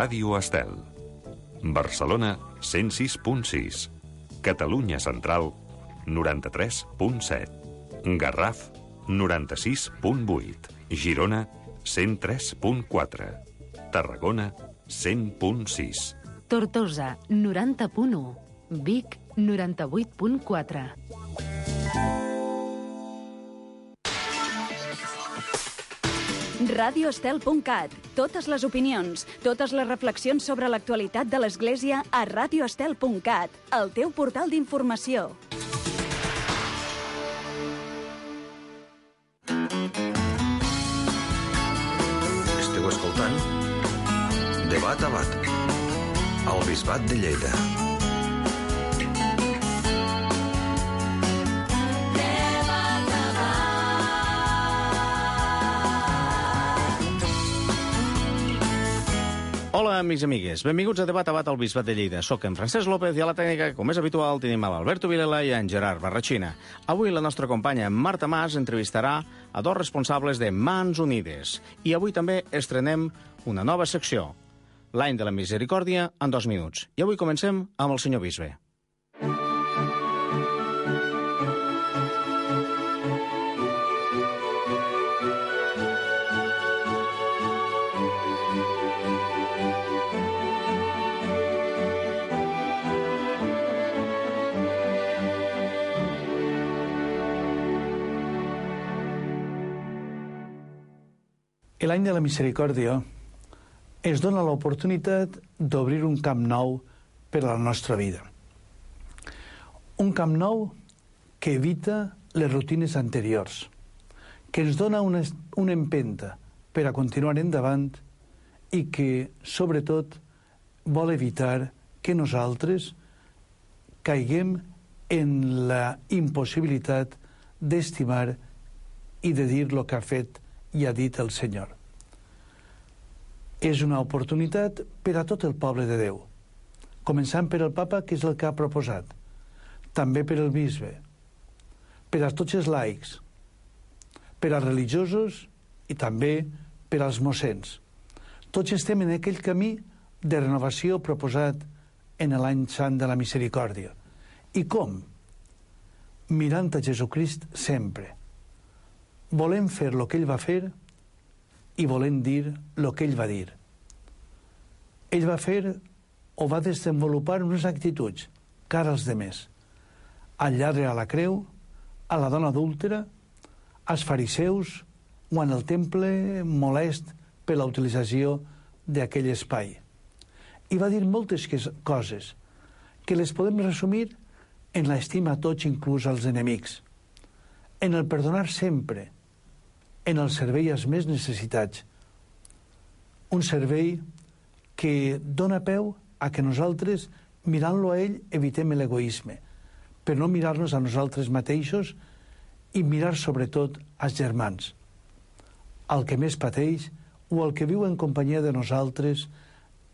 Ràdio Estel. Barcelona, 106.6. Catalunya Central, 93.7. Garraf, 96.8. Girona, 103.4. Tarragona, 100.6. Tortosa, 90.1. Vic, 98.4. radioestel.cat. Totes les opinions, totes les reflexions sobre l'actualitat de l'Església a radioestel.cat, el teu portal d'informació. Esteu escoltant Debat a Bat, al Bisbat de Lleida. Hola, amics i amigues. Benvinguts a Debat a Bat al Bisbat de Lleida. Soc en Francesc López i a la tècnica, com és habitual, tenim a l'Alberto Vilela i en Gerard Barratxina. Avui la nostra companya Marta Mas entrevistarà a dos responsables de Mans Unides. I avui també estrenem una nova secció, l'any de la misericòrdia en 2 minuts. I avui comencem amb el senyor bisbe. L'any de la misericòrdia ens dona l'oportunitat d'obrir un camp nou per a la nostra vida. Un camp nou que evita les rutines anteriors, que ens dona una empenta per a continuar endavant i que, sobretot, vol evitar que nosaltres caiguem en la impossibilitat d'estimar i de dir el que ha fet i ha dit el Senyor. És una oportunitat per a tot el poble de Déu, començant per el papa, que és el que ha proposat, també per el bisbe, per a tots els laics, per als religiosos i també per als mossens. Tots estem en aquell camí de renovació proposat en l'any sant de la misericòrdia. I com? Mirant a Jesucrist sempre. Volem fer el que ell va fer i volem dir el que ell va dir. Ell va fer o va desenvolupar unes actituds cara als demés. Al lladre a la creu, a la dona adúltera, als fariseus o en el temple molest per la utilització d'aquell espai. I va dir moltes coses que les podem resumir en l'estima a tots, inclús als enemics, en el perdonar sempre, en el servei als més necessitats. Un servei que dona peu a que nosaltres, mirant-lo a ell, evitem l'egoisme, per no mirar-nos a nosaltres mateixos i mirar sobretot als germans, al que més pateix o al que viu en companyia de nosaltres,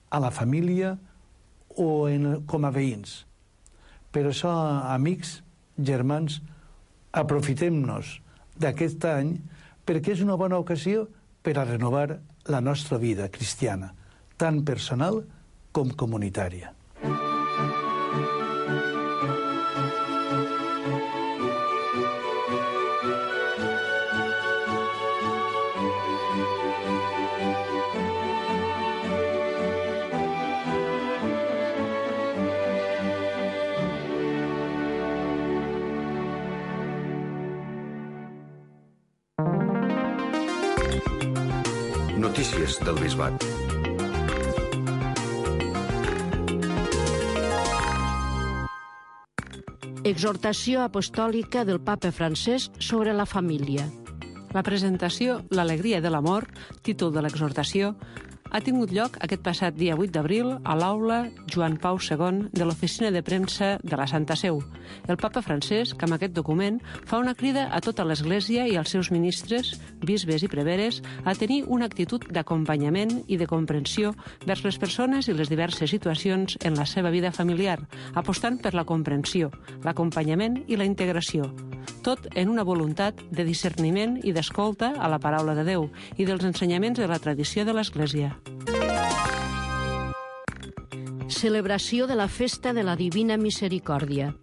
a la família o com a veïns. Per això, amics, germans, aprofitem-nos d'aquest any perquè és una bona ocasió per a renovar la nostra vida cristiana, tant personal com comunitària. Notícies del Bisbat. Exhortació apostòlica del papa Francesc sobre la família. La presentació L'alegria de l'amor, títol de l'exhortació, ha tingut lloc aquest passat dia 8 d'abril a l'aula Joan Pau II de l'Oficina de Premsa de la Santa Seu. El papa Francesc, amb aquest document, fa una crida a tota l'Església i als seus ministres, bisbes i preveres, a tenir una actitud d'acompanyament i de comprensió vers les persones i les diverses situacions en la seva vida familiar, apostant per la comprensió, l'acompanyament i la integració. Tot en una voluntat de discerniment i d'escolta a la paraula de Déu i dels ensenyaments de la tradició de l'Església. celebració de la Festa de la Divina Misericòrdia.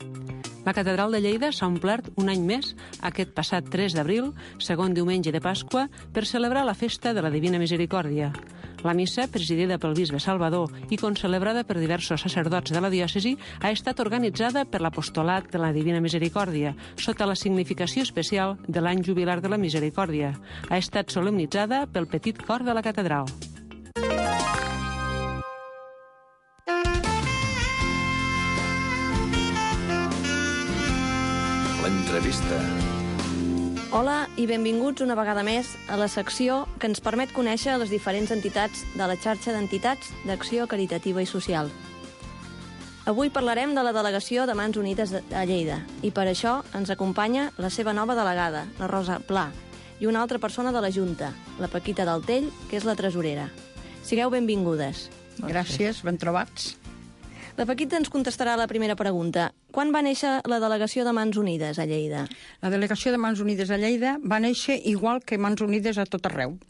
La Catedral de Lleida s'ha omplert un any més, aquest passat 3 d'abril, segon diumenge de Pasqua, per celebrar la Festa de la Divina Misericòrdia. La missa, presidida pel bisbe Salvador i concelebrada per diversos sacerdots de la diòcesi, ha estat organitzada per l'Apostolat de la Divina Misericòrdia, sota la significació especial de l'any jubilar de la Misericòrdia. Ha estat solemnitzada pel petit cor de la catedral. L'entrevista. Hola i benvinguts una vegada més a la secció que ens permet conèixer les diferents entitats de la xarxa d'entitats d'acció caritativa i social. Avui parlarem de la delegació de Mans Unides a Lleida i per això ens acompanya la seva nova delegada, la Rosa Pla, i una altra persona de la Junta, la Paquita Daltell, que és la tresorera. Sigueu benvingudes. Gràcies, ben trobats. La Paquita ens contestarà la primera pregunta. Quan va néixer la delegació de Mans Unides a Lleida? La delegació de Mans Unides a Lleida va néixer igual que Mans Unides a tot arreu.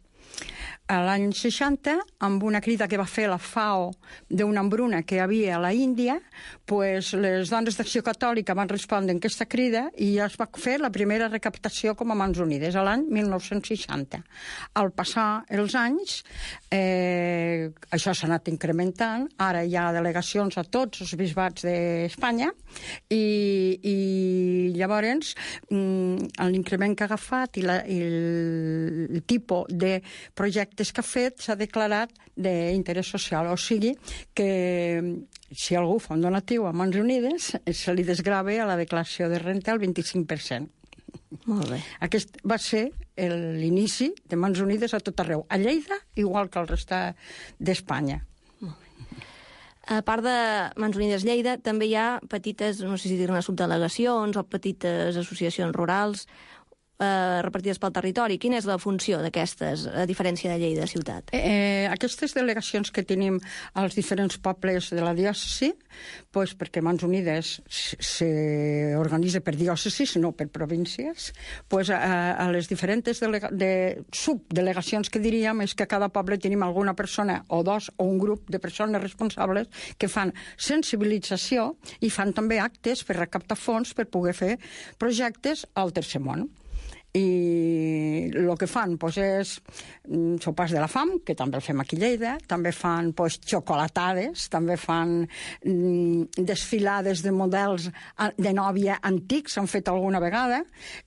A l'any 60, amb una crida que va fer la FAO d'una hambruna que hi havia a la Índia, pues, les dones d'Acció Catòlica van respondre a aquesta crida i es va fer la primera recaptació com a Mans Unides, a l'any 1960. Al passar els anys, això s'ha anat incrementant, ara hi ha delegacions a tots els bisbats d'Espanya i llavors l'increment que ha agafat i el tipus de projecte que ha fet s'ha declarat d'interès social, o sigui que si algú fa un donatiu a Mans Unides se li desgrava a la declaració de renta el 25%. Molt bé. Aquest va ser l'inici de Mans Unides a tot arreu, a Lleida igual que al resta d'Espanya. A part de Mans Unides Lleida, també hi ha petites, no sé si dir-ne subdelegacions o petites associacions rurals repartides pel territori. Quina és la funció d'aquestes, a diferència de Lleida ciutat? Aquestes delegacions que tenim als diferents pobles de la diòcesi, pues, perquè Mans Unides s'organitza per diòcesis, no per províncies, pues, a les diferents subdelegacions que diríem és que a cada poble tenim alguna persona o dos o un grup de persones responsables que fan sensibilització i fan també actes per recaptar fons per poder fer projectes al tercer món. I el que fan és sopars de la fam, que també el fem aquí a Lleida, també fan xocolatades, també fan desfilades de models de nòvia antics, han fet alguna vegada,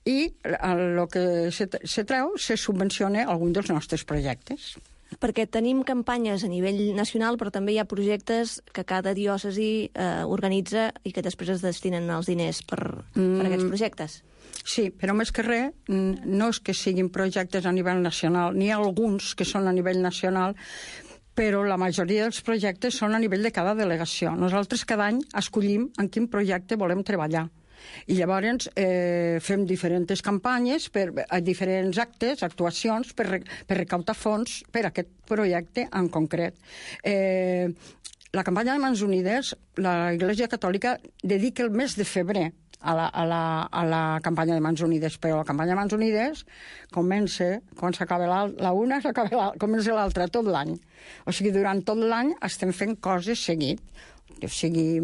i el que se treu se subvenciona algun dels nostres projectes. Perquè tenim campanyes a nivell nacional, però també hi ha projectes que cada diòcesi organitza i que després es destinen els diners per aquests projectes. Sí, però més que res, no és que siguin projectes a nivell nacional, n'hi ha alguns que són a nivell nacional, però la majoria dels projectes són a nivell de cada delegació. Nosaltres cada any escollim en quin projecte volem treballar. I llavors fem diferents campanyes, diferents actes, actuacions, per recaptar fons per a aquest projecte en concret. La campanya de Mans Unides, la Iglesia Catòlica dedica el mes de febrer a la campanya de Mans Unides, però la campanya de Mans Unides comença, quan s'acaba la una, comença l'altra, tot l'any. O sigui, durant tot l'any estem fent coses seguit. O sigui,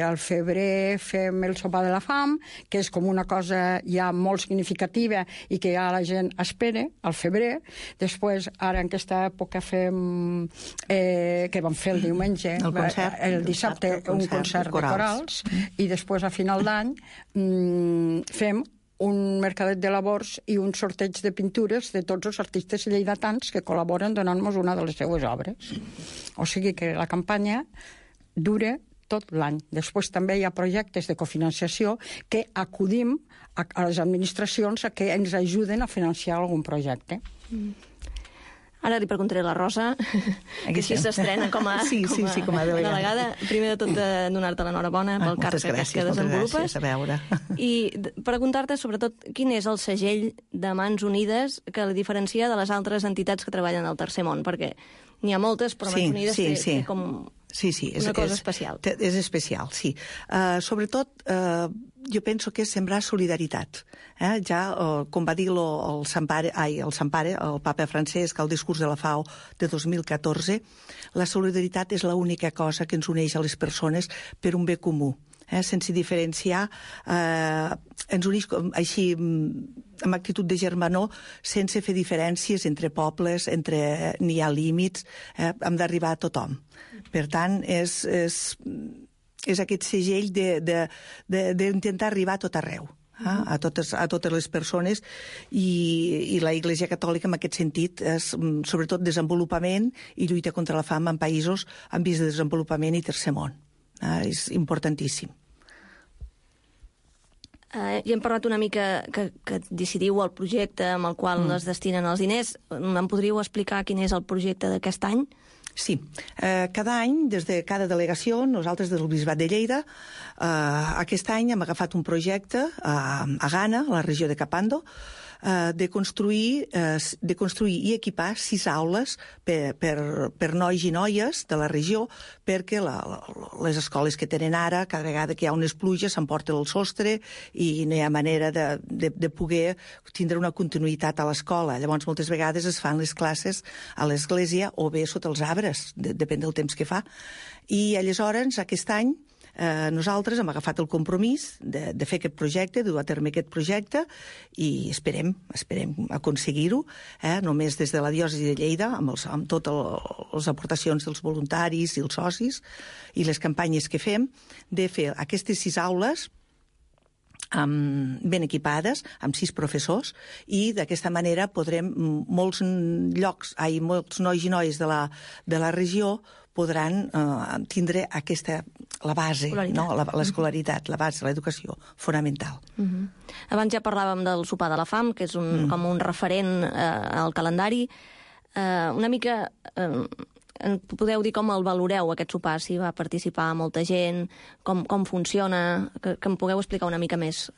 al febrer fem el sopar de la fam, que és com una cosa ja molt significativa i que ja la gent espera, al febrer. Després, ara en aquesta època fem, que vam fer el diumenge, el dissabte, un concert de corals, i després, a final d'any, fem un mercadet de labors i un sorteig de pintures de tots els artistes lleidatans que col·laboren donant-nos una de les seues obres. O sigui que la campanya dura tot l'any. Després també hi ha projectes de cofinanciació que acudim a les administracions a que ens ajuden a financiar algun projecte. Ara li preguntaré a la Rosa, que així s'estrena com a delegada. Primer de tot, donar-te l'enhorabona pel càrrec que desenvolupes. Moltes gràcies, a veure. I preguntar-te, sobretot, quin és el segell de Mans Unides que la diferencia de les altres entitats que treballen al Tercer Món, perquè n'hi ha moltes, però Mans Unides té com Sí, una cosa especial. És especial, sí. Sobretot, jo penso que és sembrar solidaritat. Ja, com va dir el Sampare, el papa Francesc, al discurs de la FAO de 2014, la solidaritat és l'única cosa que ens uneix a les persones per un bé comú. Sense diferenciar, ens uneix així amb actitud de germanor, sense fer diferències entre pobles, n'hi ha límits, hem d'arribar a tothom. Per tant, és aquest segell d'intentar arribar a tot arreu, a totes les persones, i la Iglesia Catòlica en aquest sentit és sobretot desenvolupament i lluita contra la fam en països en vies de desenvolupament i tercer món. És importantíssim. Ja hem parlat una mica que decidiu el projecte amb el qual es destinen els diners. Em podríeu explicar quin és el projecte d'aquest any? Sí. Cada any, des de cada delegació, nosaltres des del Bisbat de Lleida, aquest any hem agafat un projecte a Ghana, a la regió de Kapando, de construir i equipar 6 aules per nois i noies de la regió, perquè les escoles que tenen ara, cada vegada que hi ha unes pluges, s'emporta el sostre i no hi ha manera de poder tindre una continuïtat a l'escola. Llavors, moltes vegades es fan les classes a l'església o bé sota els arbres, depèn del temps que fa. I aleshores, aquest any, nosaltres hem agafat el compromís de fer aquest projecte, de dur a terme aquest projecte, i esperem aconseguir-ho, només des de la diòcesi de Lleida, amb totes les aportacions dels voluntaris i els socis i les campanyes que fem, de fer aquestes 6 aules ben equipades, amb 6 professors, i d'aquesta manera podrem, molts nois i noies de la regió podran tindre la base, l'escolaritat, la base, l'educació fonamental. Abans ja parlàvem del sopar de la fam, que és com un referent al calendari. Una mica podeu dir com el valoreu, aquest sopar, si va participar molta gent, com funciona, que em pugueu explicar una mica més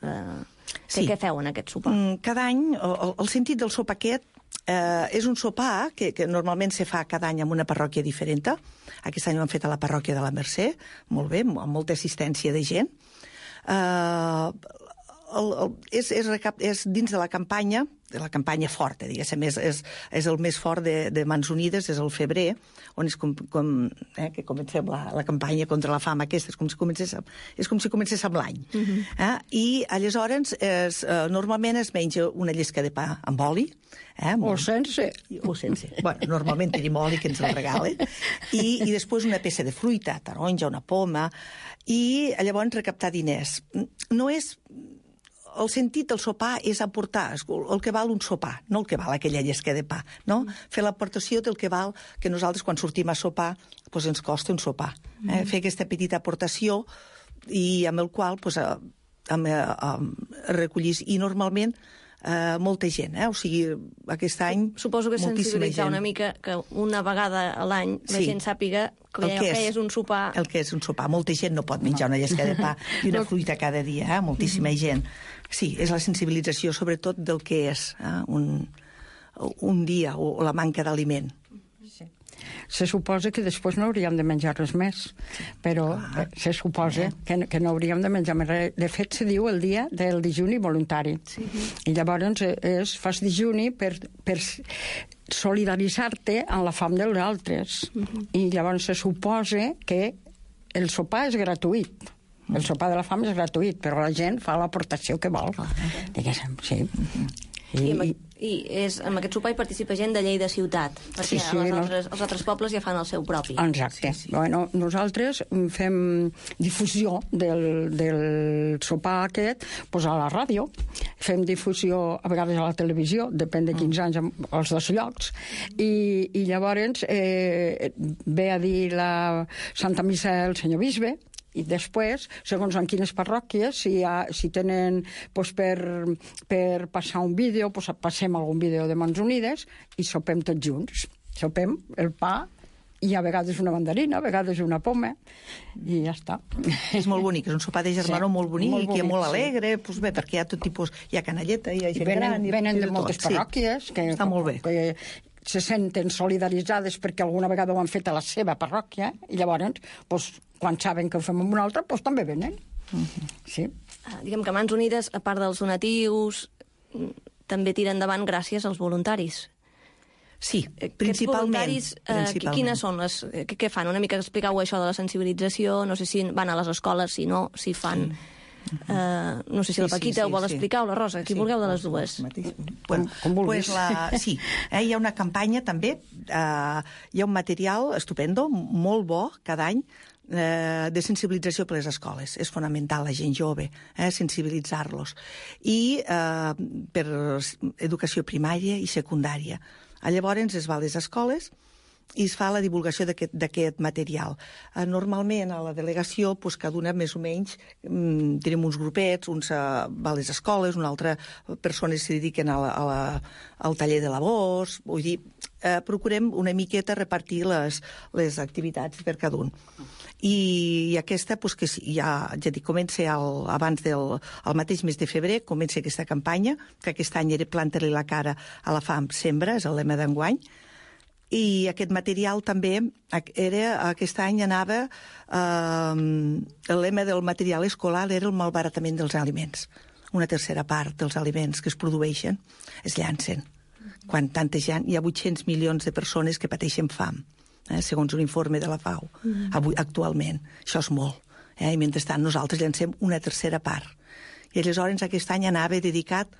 què feu en aquest sopar. Cada any, el sentit del sopar aquest és un sopar que normalment se fa cada any en una parròquia diferent. Aquest any ho hem fet a la parròquia de la Mercè, molt bé, amb molta assistència de gent. És dins de la campanya forta, diguéssim, és el més fort de Mans Unides, és el febrer, on és que comencem la campanya contra la fam aquesta, és com si comencés amb l'any. I aleshores normalment es menja una llesca de pa amb oli, o sense. Bueno, normalment tenim oli que ens el regalen, i després una peça de fruita, taronja, una poma, i llavors recaptar diners. No és... El sentit del sopar és aportar el que val un sopar, no el que val aquella llesca de pa, no? Fer l'aportació del que val que nosaltres quan sortim a sopar ens costa un sopar. Fer aquesta petita aportació i amb el qual recollís, i normalment molta gent, o sigui, aquest any suposo que sensibilitzar una mica que una vegada a l'any la gent sàpiga el que és un sopar. El que és un sopar. Molta gent no pot menjar una llesca de pa i una fruita cada dia, moltíssima gent. Sí, és la sensibilització sobretot del que és un dia o la manca d'aliment. Se suposa que després no hauríem de menjar res més, però se suposa que no hauríem de menjar més res. De fet, se diu el dia del dijuni voluntari. I llavors fas dijuni per solidaritzar-te amb la fam dels altres. I llavors se suposa que el sopar és gratuït. El sopar de la fam és gratuït, però la gent fa l'aportació que vol. Diguéssim, sí. I en aquest sopar hi participa gent de Lleida ciutat, perquè els altres pobles ja fan el seu propi. Exacte. Bueno, nosaltres fem difusió del sopar aquest a la ràdio, fem difusió a vegades a la televisió, depèn de quins anys, als 2 llocs, i llavors ve a dir la Santa Missa el senyor bisbe, i després, segons en quines parròquies, si tenen per passar un vídeo, passem algun vídeo de Mans Unides i sopem tots junts. Sopem el pa i a vegades una mandarina, a vegades una poma, i ja està. És molt bonic, és un sopar de germanor molt bonic i molt alegre, perquè hi ha tot tipus, hi ha canalleta, hi ha gent gran... Venen de moltes parròquies. Està molt bé. se senten solidaritzades perquè alguna vegada ho han fet a la seva parròquia, i llavors, doncs, quan saben que ho fem amb una altra, doncs també venen. Sí. Diguem que Mans Unides, a part dels donatius, també tira endavant gràcies als voluntaris. Sí, principalment. Quines són les... Què fan? Una mica expliqueu això de la sensibilització, no sé si van a les escoles, si no, si fan... no sé si la Paquita ho vol explicar o la Rosa, qui vulgueu de les dues. Com vulguis. Sí, hi ha una campanya també, hi ha un material estupendo, molt bo, cada any, de sensibilització per les escoles. És fonamental la gent jove, sensibilitzar-los. I per educació primària i secundària. Llavors es va a les escoles i es fa la divulgació d'aquest material. Normalment a la delegació, cada una més o menys, tenim uns grupets, uns va a les escoles, una altra persones se dediquen al taller de labors, vull dir, procurem una miqueta repartir les activitats per cada un. I aquesta, que ja dic, comença abans del mateix mes de febrer, comença aquesta campanya, que aquest any era Planta-li la cara a la fam, sembra, és el lema d'enguany. I aquest material també, aquest any anava, el lema del material escolar era el malbaratament dels aliments. Una tercera part dels aliments que es produeixen es llancen. Quan tanta gent, hi ha 800 milions de persones que pateixen fam, segons un informe de la FAO, actualment. Això és molt. I mentrestant nosaltres llancem una tercera part. I aleshores aquest any anava dedicat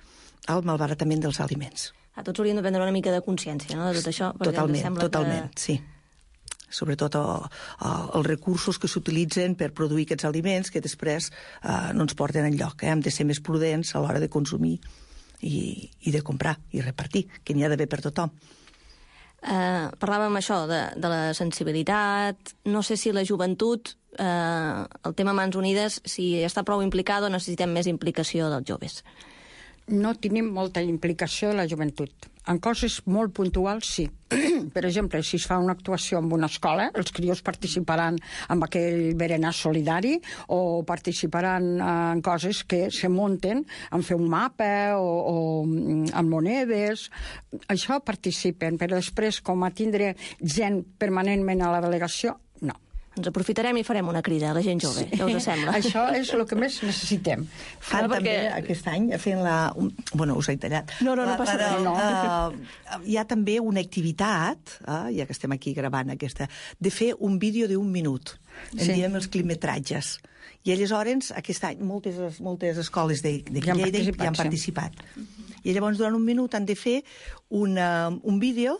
al malbaratament dels aliments. Tots hauríem de prendre una mica de consciència, no?, de tot això. Totalment, sí. Sobretot els recursos que s'utilitzen per produir aquests aliments que després no ens porten enlloc. Hem de ser més prudents a l'hora de consumir i de comprar i repartir, que n'hi ha d'haver per tothom. Parlàvem això de la sensibilitat. No sé si la joventut, el tema Mans Unides, si està prou implicada o necessitem més implicació dels joves. No tenim molta implicació de la joventut. En coses molt puntuals, sí. Per exemple, si es fa una actuació en una escola, els crios participaran en aquell berenar solidari o participaran en coses que se munten, en fer un mapa o en monedes. Això participen, però després, com a tindre gent permanentment a la delegació, no. Ens aprofitarem i farem una crida a la gent jove, què us sembla? Això és el que més necessitem. Fan també aquest any, fent la... Bueno, us he tallat. No passa res. Hi ha també una activitat, ja que estem aquí gravant aquesta, de fer un vídeo d'1 minut. En diem els clipmetratges. I aleshores, aquest any, moltes escoles de Lleida hi han participat. I llavors, durant 1 minut, han de fer un vídeo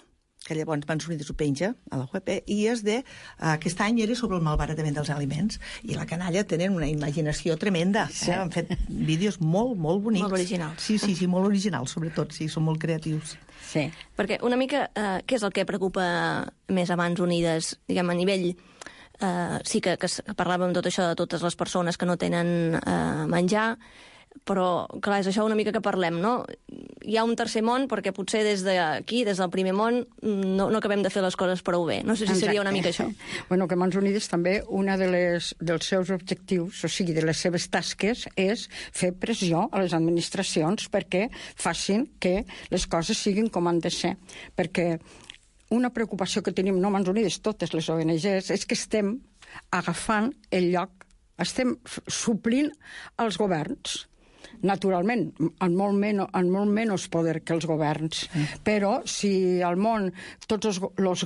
que llavors Mans Unides ho penja a la web, i aquest any era sobre el malbaratament dels aliments, i la canalla tenen una imaginació tremenda. Han fet vídeos molt, molt bonics. Molt originals. Sí, molt originals, sobretot, sí, són molt creatius. Sí. Perquè una mica, què és el que preocupa més a Mans Unides, diguem, a nivell... sí que parlàvem tot això de totes les persones que no tenen menjar, però, clar, és això una mica que parlem, no? Hi ha un tercer món, perquè potser des d'aquí, des del primer món, no acabem de fer les coses prou bé. No sé si seria una mica això. Bueno, que Mans Unides també, una dels seus objectius, o sigui, de les seves tasques, és fer pressió a les administracions perquè facin que les coses siguin com han de ser. Perquè una preocupació que tenim, no Mans Unides, totes les ONGs, és que estem agafant el lloc, estem suplint els governs. Naturalment, amb molt menys poder que els governs. Però si al món tots les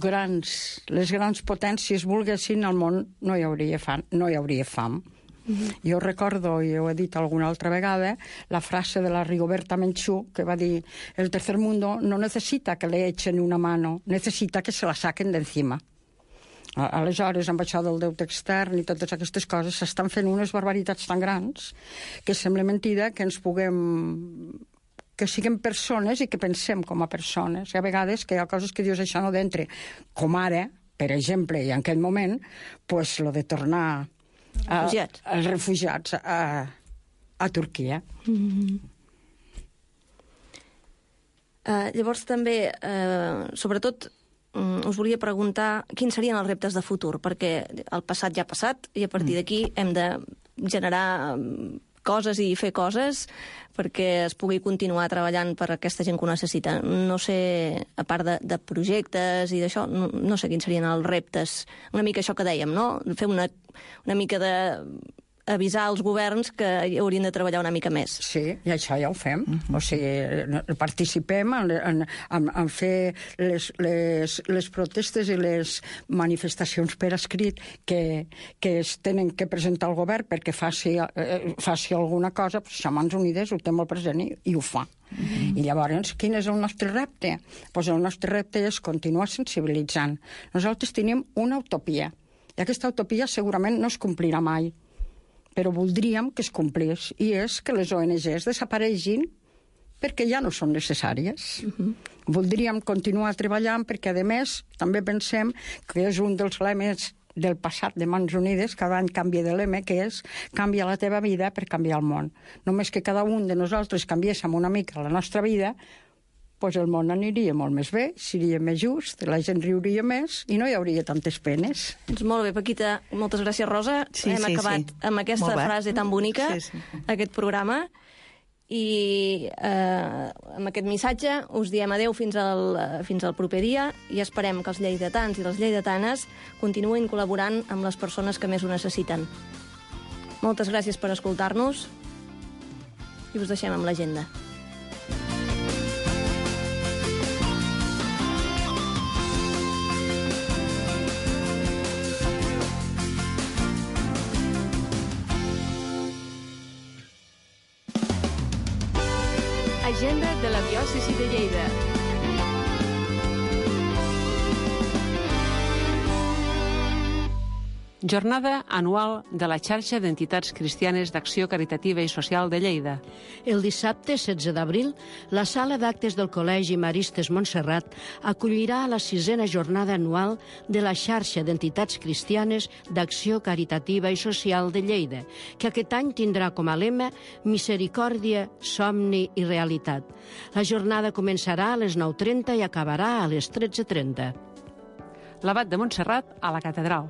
grans potències volguessin, al món no hi hauria fam. Jo recordo, i ho he dit alguna altra vegada, la frase de la Rigoberta Menchú, que va dir: el tercer mundo no necesita que le echen una mano, necesita que se la saquen de encima. Aleshores, amb això del deute extern i totes aquestes coses, s'estan fent unes barbaritats tan grans que sembla mentida que ens puguem... que siguem persones i que pensem com a persones. I a vegades que hi ha coses que dius això no d'entre. Com ara, per exemple, i en aquell moment, pues, lo de tornar els refugiats a Turquia. Llavors també, sobretot, us volia preguntar quins serien els reptes de futur, perquè el passat ja ha passat i a partir d'aquí hem de generar coses i fer coses perquè es pugui continuar treballant per aquesta gent que ho necessita. No sé, a part de projectes i d'això, no sé quins serien els reptes. Una mica això que dèiem, no? Fer una mica de avisar als governs que haurien de treballar una mica més. Sí, i això ja ho fem. O sigui, participem en fer les protestes i les manifestacions per escrit que es tenen que presentar al govern perquè faci alguna cosa. Xamans Unides ho té molt present i ho fa. I llavors, quin és el nostre repte? Pues el nostre repte és continuar sensibilitzant. Nosaltres tenim una utopia, i aquesta utopia segurament no es complirà mai, però voldríem que es complís, i és que les ONGs desaparegin perquè ja no són necessàries. Voldríem continuar treballant perquè, a més, també pensem que és un dels lemes del passat de Mans Unides, cada any canvia de lema, que és canvia la teva vida per canviar el món. Només que cada un de nosaltres canviéssim una mica la nostra vida, doncs el món aniria molt més bé, seria més just, la gent riuria més i no hi hauria tantes penes. Molt bé, Paquita. Moltes gràcies, Rosa. Hem acabat amb aquesta frase tan bonica, aquest programa. I amb aquest missatge us diem adeu fins al proper dia i esperem que els lleidatans i les lleidatanes continuïn col·laborant amb les persones que més ho necessiten. Moltes gràcies per escoltar-nos i us deixem amb l'agenda. Agenda de la diòcesi de Lleida. Jornada anual de la xarxa d'entitats cristianes d'acció caritativa i social de Lleida. El dissabte 16 d'abril, la sala d'actes del Col·legi Maristes Montserrat acollirà la 6a jornada anual de la xarxa d'entitats cristianes d'acció caritativa i social de Lleida, que aquest any tindrà com a lema Misericòrdia, somni i realitat. La jornada començarà a les 9:30 i acabarà a les 13:30. L'abat de Montserrat a la catedral.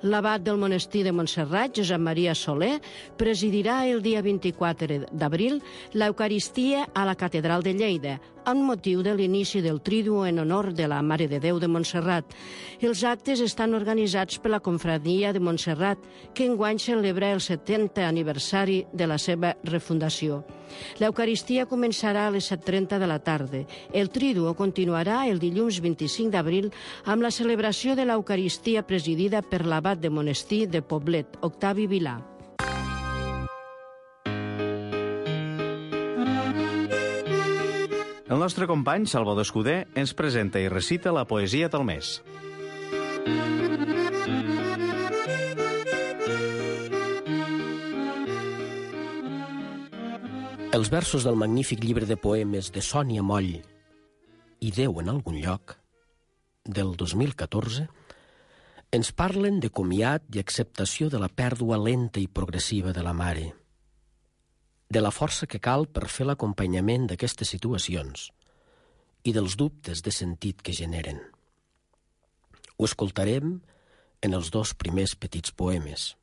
L'abat del monestir de Montserrat, Josep Maria Soler, presidirà el dia 24 d'abril l'Eucaristia a la catedral de Lleida, amb motiu de l'inici del Triduo en honor de la Mare de Déu de Montserrat. Els actes estan organitzats per la Confraria de Montserrat, que enguany celebra el 70è aniversari de la seva refundació. L'Eucaristia començarà a les 7:30 de la tarda. El Triduo continuarà el dilluns 25 d'abril amb la celebració de l'Eucaristia presidida per l'abat de monestir de Poblet, Octavi Vilà. El nostre company, Salvador Escudé, ens presenta i recita la poesia del mes. Els versos del magnífic llibre de poemes de Sònia Moll i Déu en algun lloc, del 2014, ens parlen de comiat i acceptació de la pèrdua lenta i progressiva de la mare, de la força que cal per fer l'acompanyament d'aquestes situacions i dels dubtes de sentit que generen. Ho escoltarem en els 2 primers petits poemes.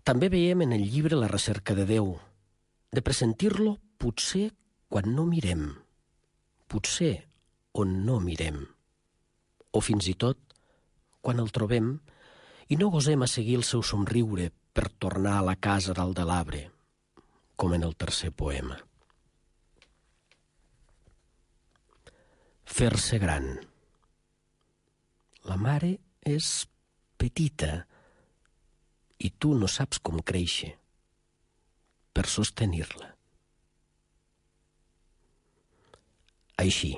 També veiem en el llibre la recerca de Déu, de pressentir-lo potser quan no mirem, potser on no mirem, o fins i tot quan el trobem i no gosem a seguir el seu somriure per tornar a la casa dalt de l'arbre, com en el tercer poema. Fer-se gran. La mare és petita i tu no saps com créixer per sostenir-la. Així.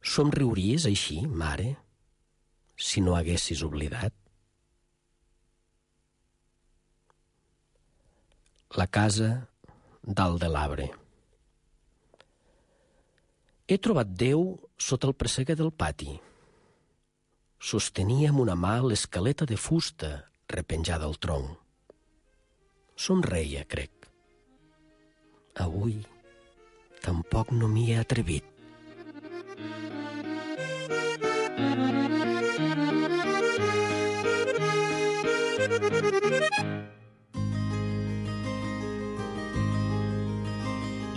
Somriuries així, mare, si no haguessis oblidat? La casa dalt de l'arbre. He trobat Déu sota el presseguer del pati. Sostenia amb una mà l'escaleta de fusta repenjada al tronc. Somreia, crec. Avui tampoc no m'hi he atrevit.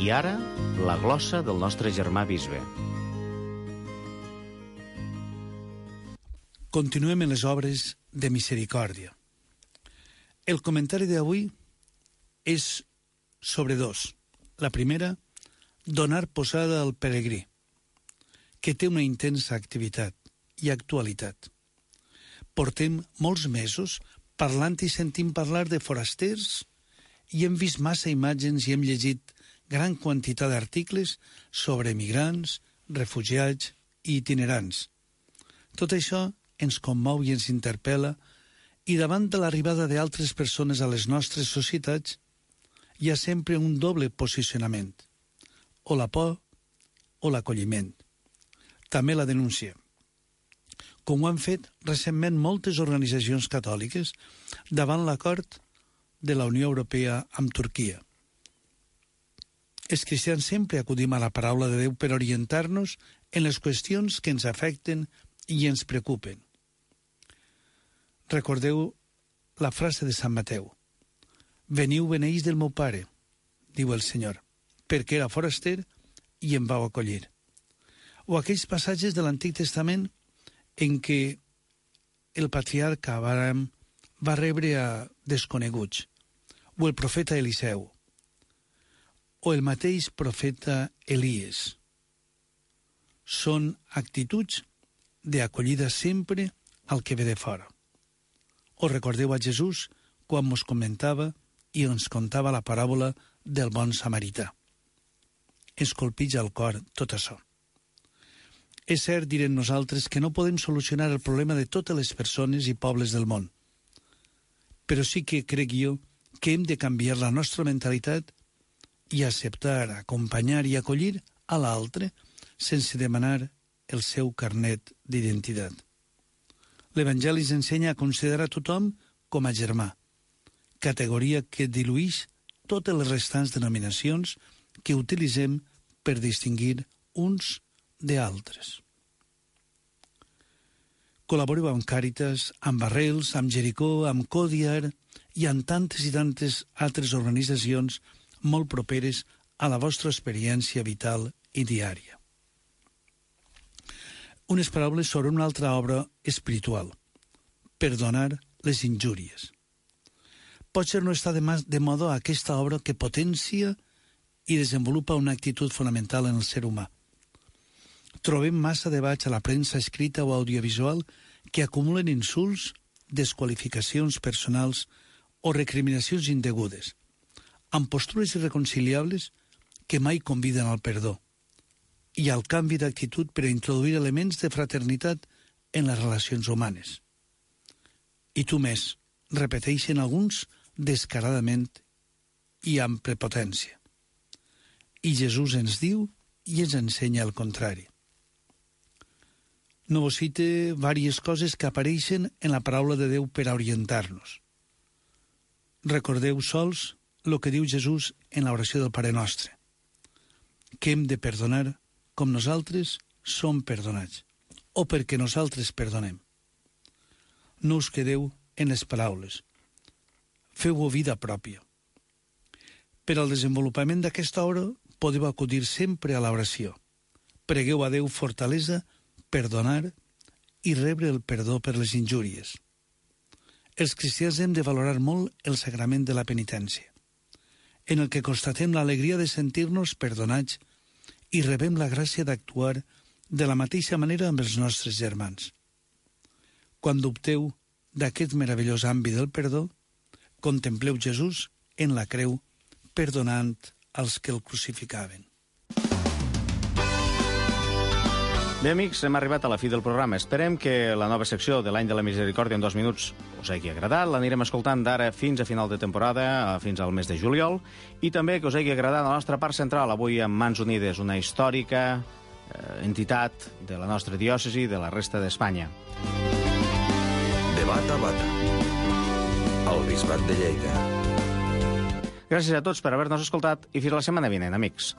I ara, la glossa del nostre germà bisbe. Continuem en les obres de misericòrdia. El comentari d'avui és sobre dos. La primera, donar posada al peregrí, que té una intensa activitat i actualitat. Portem molts mesos parlant i sentint parlar de forasters i hem vist massa imatges i hem llegit gran quantitat d'articles sobre migrants, refugiats i itinerants. Tot això ens commou i ens interpel·la i davant de l'arribada d'altres persones a les nostres societats hi ha sempre un doble posicionament, o la por o l'acolliment. També la denúncia, com ho han fet recentment moltes organitzacions catòliques davant l'acord de la Unió Europea amb Turquia. Els cristians sempre acudim a la paraula de Déu per orientar-nos en les qüestions que ens afecten i ens preocupen. Recordeu la frase de Sant Mateu: «Veniu beneïts del meu pare», diu el Senyor, perquè era foraster i em vau acollir. O aquells passatges de l'Antic Testament en què el patriarca Abraham va rebre a desconeguts, o el profeta Eliseu, o el mateix profeta Elies. Són actituds d'acollida sempre al que ve de fora. O recordeu a Jesús quan mos comentava i ens contava la paràbola del bon samarità. Ens colpija al cor tot això. És cert, direm nosaltres, que no podem solucionar el problema de totes les persones i pobles del món. Però sí que crec jo que hem de canviar la nostra mentalitat i acceptar, acompanyar i acollir a l'altre sense demanar el seu carnet d'identitat. L'Evangeli ens ensenya a considerar tothom com a germà, categoria que diluïx totes les restants denominacions que utilitzem per distingir uns d'altres. Col·laboreu amb Càritas, amb Arrels, amb Jericó, amb Codiar i amb tantes i tantes altres organitzacions molt properes a la vostra experiència vital i diària. Unes paraules sobre una altra obra espiritual: perdonar les injúries. Potser no està de moda aquesta obra que potencia i desenvolupa una actitud fonamental en el ser humà. Trobem massa debats a la premsa escrita o audiovisual que acumulen insults, desqualificacions personals o recriminacions indegudes, amb postures irreconciliables que mai conviden al perdó i al canvi d'actitud per a introduir elements de fraternitat en les relacions humanes. I tu més, repeteixen alguns descaradament i amb prepotència. I Jesús ens diu i ens ensenya el contrari. No vos cite diverses coses que apareixen en la paraula de Déu per a orientar-nos. Recordeu sols el que diu Jesús en l'oració del Pare Nostre, que hem de perdonar com nosaltres som perdonats, o perquè nosaltres perdonem. No us quedeu en les paraules. Feu-ho vida pròpia. Per al desenvolupament d'aquesta obra podeu acudir sempre a l'oració. Pregueu a Déu fortalesa, perdonar i rebre el perdó per les injúries. Els cristians hem de valorar molt el sagrament de la penitència, en el que constatem l'alegria de sentir-nos perdonats i rebem la gràcia d'actuar de la mateixa manera amb els nostres germans. Quan dubteu d'aquest meravellós àmbit del perdó, contempleu Jesús en la creu, perdonant els que el crucificaven. Bé, amics, hem arribat a la fi del programa. Esperem que la nova secció de l'any de la misericòrdia en 2 minuts us hagi agradat. L'anirem escoltant d'ara fins a final de temporada, fins al mes de juliol, i també que us hagi agradat la nostra part central, avui amb Mans Unides, una històrica entitat de la nostra diòcesi i de la resta d'Espanya. Debat a Bata, al Bisbat de Lleida. Gràcies a tots per haver-nos escoltat i fins la setmana vinent, amics.